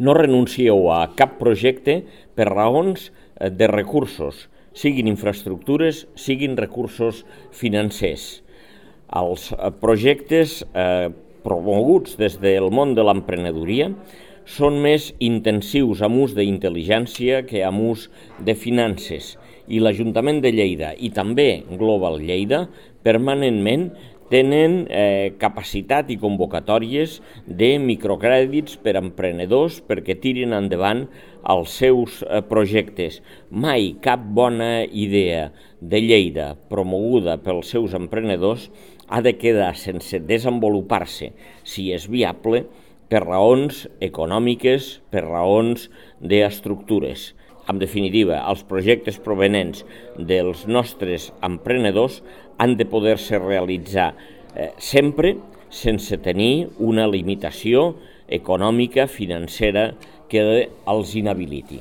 no renuncieu a cap projecte per raons de recursos, siguin infraestructures, siguin recursos financers. Els projectes promoguts des del món de l'emprenedoria són més intensius amb ús d'intel·ligència que amb ús de finances, i l'Ajuntament de Lleida i també Global Lleida permanentment tenen capacitat i convocatòries de microcrèdits per a emprenedors perquè tirin endavant els seus projectes. Mai cap bona idea de Lleida promoguda pels seus emprenedors ha de quedar sense desenvolupar-se, si és viable, per raons econòmiques, per raons d'estructures. En definitiva, els projectes provenents dels nostres emprenedors han de poder-se realitzar sempre sense tenir una limitació econòmica, financera, que els inhabiliti.